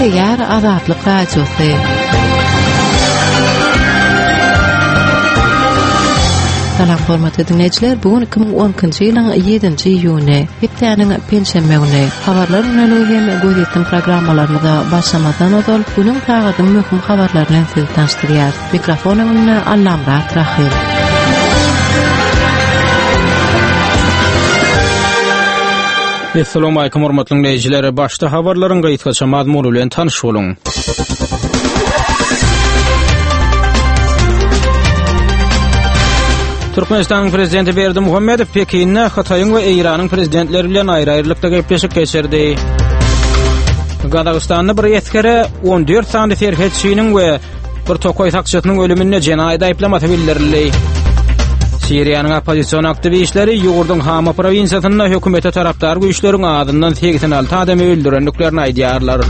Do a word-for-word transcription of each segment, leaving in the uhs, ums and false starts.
Gepleýär Azatlyk Radiosy. Salam hormatly dinleýjiler, bu gün iki müň on ikinji ýylyň ýedinji iýuny, hepdäniň penşenbe güni. Habarlar güneligi hem gözýetim programmalarymyza başlamazdan ozal günüň sagadyň möhüm habarlaryny bilen sizi tanyşdyrýarys. Mikrofon öňünde Allamyrat Rahym. Assalamu alaykum hormatly dinleýjiler. Başda habarlaryň gysgaça mazmuny bilen tanyş boluň. Türkmenistanyň prezidenti Berdimuhamedow Pekinde Hytaýyň we Eýranyň prezidentleri bilen aýry-aýrylykda gepleşik geçirdi. Gazagystanda bir esgere on dört sany serhetçiniň we bir tokaý sakçysynyň ölüminde jenaýat aýyplamasy bildirildi. Siriýanyň oppozision aktiwistleri ýurduň Hama prowinsiýasynda hökümete tarapdar güýçleriň azyndan segsen alty adamy öldürendiklerini aýdýarlar.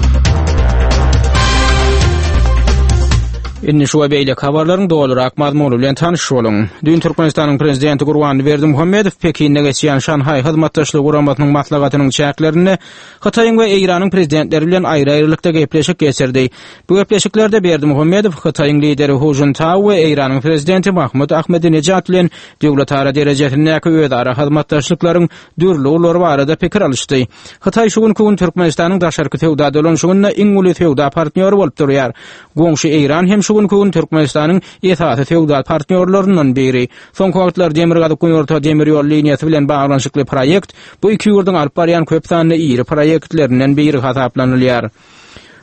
Indi şu we beýleki habarlaryň dolurak mazmuny bilen tanyş boluň. Düýn Türkmenistanyň prezidenti Gurbanguly Berdimuhamedow Pekinde geçýän Şanhaý Hyzmatdaşlygy Guramasynyň maslahatynyň çäklerinde Hytaýyň we Eýranyň prezidentleri bilen aýry-aýrylykda gepleşik geçirdi. Bu gepleşiklerde Berdimuhamedow Hytaýyň lideri Hu Jintao we Eýranyň prezidenti Mahmud Ahmedinejad bilen döwletara derejesindäki özara hyzmatdaşlyklaryň dürli ugurlary barada pikir alyşdy. Hytaý şu günki gün Türkmenistanyň daşarky söwda dolanyşygynda iň uly söwda partnýory bolup durýar. Goňşy Eýran hem şu günki gün Türkmenistanyň esasy söwda partnýorlaryndan biri. Soňky wagtlar Demirgazyk-Günorta demir ýol liniýasy bilen baglanyşykly proýekt bu iki ýurduň alyp barýan köp sanly iri proýektlerinden biri hasaplanylýar.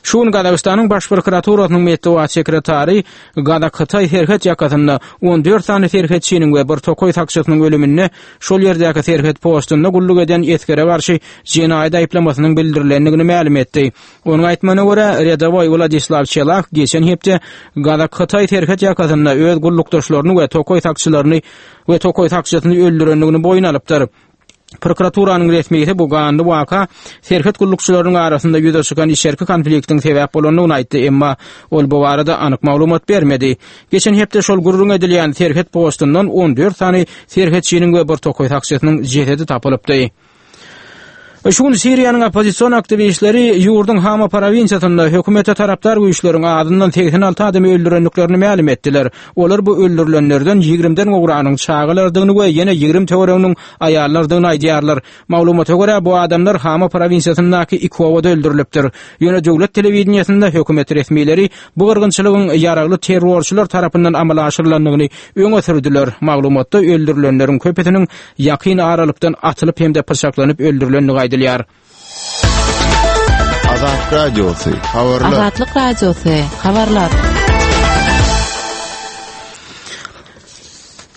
Şu gün Gazagystanyň Baş prokuraturasynyň metbugat sekretary Gazak-Hytaý serhet ýakasynda on dört sany serhetçiniň we bir tokaý sakçysynyň ölüminde şol ýerdäki serhet postunda gulluk eden esgere garşy jenaýat aýyplamasynyň bildirilendigini mälim etdi. Onuň aýtmagyna görä, redowoý Wladislaw Çelak geçen hepde Gazak-Hytaý serhet ýakasynda öz gullukdaşlaryny we tokaý sakçylaryny we tokaý sakçysyny öldürendigini boýun alypdyr. Prokuraturanyň resmisi bu ganly waka serhet gullukçylarynyň arasynda ýüze çykan içerki konfliktiň sebäp bolandygyny aýtdy, emma ol bu barada anyk maglumat bermedi. Geçen hepde şol gürrüň edilýän serhet postundan on dört sany serhetçiniň we bir tokaý sakçysynyň jesedi tapylypdy. Şu gün Siriýanyň oppozision aktiwistleri ýurduň Hama prowinsiýasynda hökümete tarapdar güýçleriň azyndan segsen alty adamy öldürendiklerini mälim etdiler. Olar bu öldürilenlerden ýigrimden gowragynyň çagalardygyny we ýene ýigrimi töwereginiň aýallardygyny aýdýarlar. Maglumata görä, bu adamlar Hama prowinsiýasyndaky iki obada öldürilipdir. Ýöne döwlet telewideniýesinde hökümet resmileri bu gyrgynçylygyň ýaragly terrorçylar tarapyndan amala aşyrylandygyny öňe sürdüler. Maglumatda öldürilenleriň köpüsiniň ýakyn aralykdan atylyp hem-de pyçaklanyp öldürilendigi aýdylýar. Azatlyk Radiosy, habarlar. Azatlyk Radiosy, habarlar.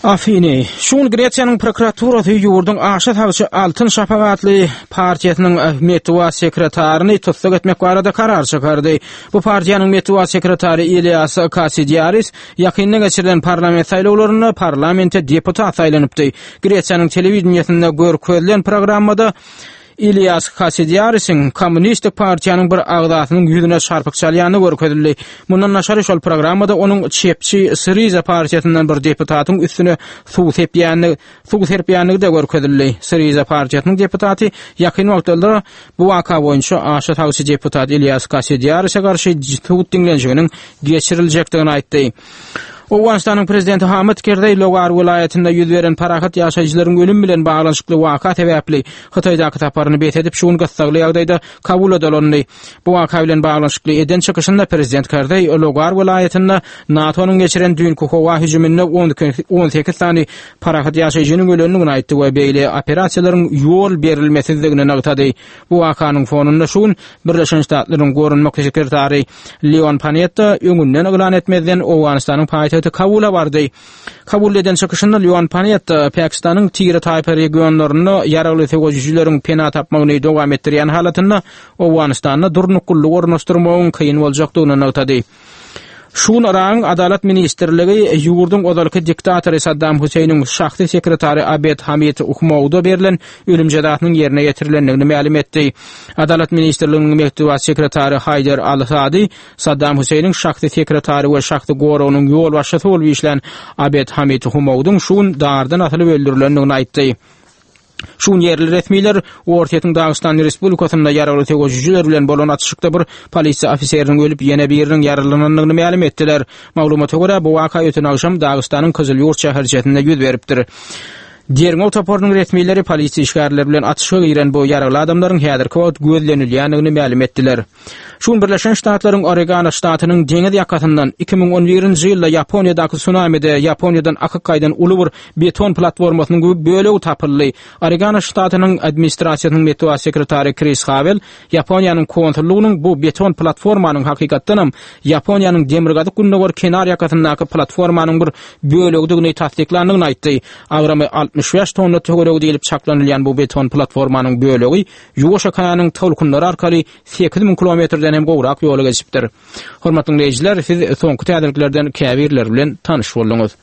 Afiny. Şu gün Gresiýanyň prokuraturasy ýurduň aşa sagçy Altyn Şafak atly partiýasynyň metbugat sekretaryny tussag etmek barada karar çykardy. Bu partiýanyň metbugat sekretary Ilias Kasidiaris ýakynda geçirilen parlament saýlawlarynda parlamente deputat saýlanypdy. Gresiýanyň telewideniýesinde görkezilen programmada Ilias Kasidiarisiň Kommunistik partiýanyň bir agzasynyň ýüzüne çarpyk çalýany görkezildi. Mundan daşary şol programmada onuň çepçi Syriza partiýasyndan bir deputatyň üstüne suw sepýäni, suw serpýänligi de görkezildi. Syriza partiýasynyň deputaty ýakyn wagtlarda bu waka boýunça aşa sagçy deputat Ilias Kasidiarise garşy sud diňlenişiginiň geçiriljekdigini aýtdy. Owganystanyň prezidenti Hamid Kerzeý Logar welaýatynda ýüz beren parahat ýaşaýjylaryň ölüm bilen baglanyşykly waka sebäpli Hytaýdaky saparyny bes edip, şu gün gyssagly ýagdaýda Kabula dolandy. Bu waka bilen baglanyşykly eden çykyşynda prezident Kerzeý Logar welaýatynda NATO-nyň geçiren düýnki howa hüjüminde on sekiz sany parahat ýaşaýjynyň ölendigini aýtdy we beýle operasiýalaryň ýol berilmesizdigini nygtady. Bu wakanyň fonunda şu gün Birleşen Ştatlaryň goranmak sekretary Leon Panetta öňünden yglan etmezden Owganystanyň paýtagty Kabula bardy. Kabul eden çykyşynda Leon Panetta Pakistanyň Tire taýpa regionlarynda ýaragly söweşijileriň pena tapmagyny dowam etdirýän halatynda Owganystanda durnuklylygy ornaşdyrmagyň kyn boljakdygyny nygtady. Şu gün Yragyň Adalat ministrligi ýurduň ozalky diktatory Saddam Hüseýniň şahsy sekretary Abed Hamid Uhmowda berlen ölüm jezasynyň ýerine ýetirilendigini mälim etdi. Adalat ministrliginiň metbugat sekretary Haýdar Al-Sadi Saddam Hüseýniň şahsy sekretary we şahsy goragynyň ýolbaşçysy bolup işlän Abed Hamid Humowdyň şu gün dardan asylyp öldürilendigini aýtdy. Şu gün ýerli resmiler Orsýetiň Dagystan Respublikasynda ýaragly söweşijiler bilen bolan atyşykda bir polisiýa ofiseriniň ölüp, ýene biriniň ýaralanandygyny mälim etdiler. Maglumata görä, bu waka öten agşam Dagystanyň Kyzylýurt şäherçesinde ýüz beripdir. Derňew toparynyň resmileri polisiýa işgärleri bilen atyşyga giren bu ýaragly adamlaryň häzirki wagt gözlenilýändigini mälim etdiler. Şu gün Birleşen Ştatlaryň Oregano ştatynyň deňiz ýakasyndan iki müň on birinji ýylda Ýaponiýadaky sunamide Ýaponiýadan akyp gaýdan uly bir beton platformasynyň bölegi tapyldy. Oregano ştatynyň administrasiýasynyň metbugat sekretary Kris Hawel Ýaponiýanyň konsullygynyň bu beton platformanyň hakykatdanam Ýaponiýanyň demirgazyk-gündogar kenar ýakasyndaky platformanyň bir bölegidigini tassyklandygyny aýtdy. Agramy altmyş bäş tonna töweregi diýlip çaklanylýan bu beton platformanyň bölegi Ýuwaş okeanyň tolkunlary arkaly sekiz müň kilometrden hem gowrak ýoly geçipdir. Hormatly dinleýjiler, siz soňky täzeliklerden käbirleri bilen tanyş bolduňyz.